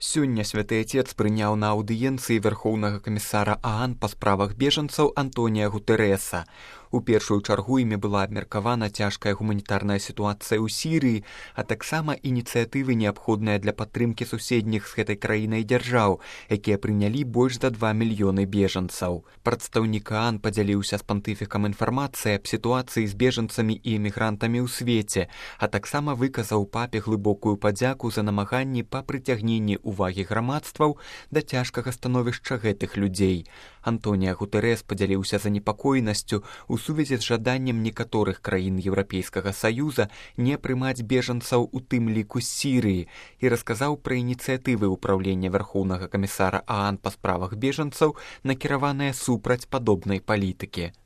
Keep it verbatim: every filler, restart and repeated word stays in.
Сёння святы Отец прыняў на аўдыенцыі вярхоўнага камісара ААН па справах бежанцаў Антонія Гутэрэса. У першую чаргу імі была абмеркавана цяжкая гуманітарная сітуацыя ў Сірыі, а таксама ініцыятывы, неабходныя для падтрымкі суседніх з гэтай краінай дзяржаў, якія прынялі больш за два мільёны бежанцаў. Прадстаўнік ААН падзяліўся з пантыфікам інфармацыяй аб сітуацыі з бежанцамі і эмігрантамі ў свеце, а таксама выказаў папе глыбокую падзяку за намаганні па прыцягненні увагі грамадстваў да цяжкага становішча гэтых людзей. Антонія Гутэрэс падзяліўся занепакоенасцю у сувязі з жаданнем некаторых краін Еўрапейскага Саюза не прымаць бежанцаў, у тым ліку з Сірыі, і расказаў пра ініцыятывы ўпраўлення вярхоўнага камісара ААН па справах бежанцаў, накіраваныя супраць падобнай палітыкі.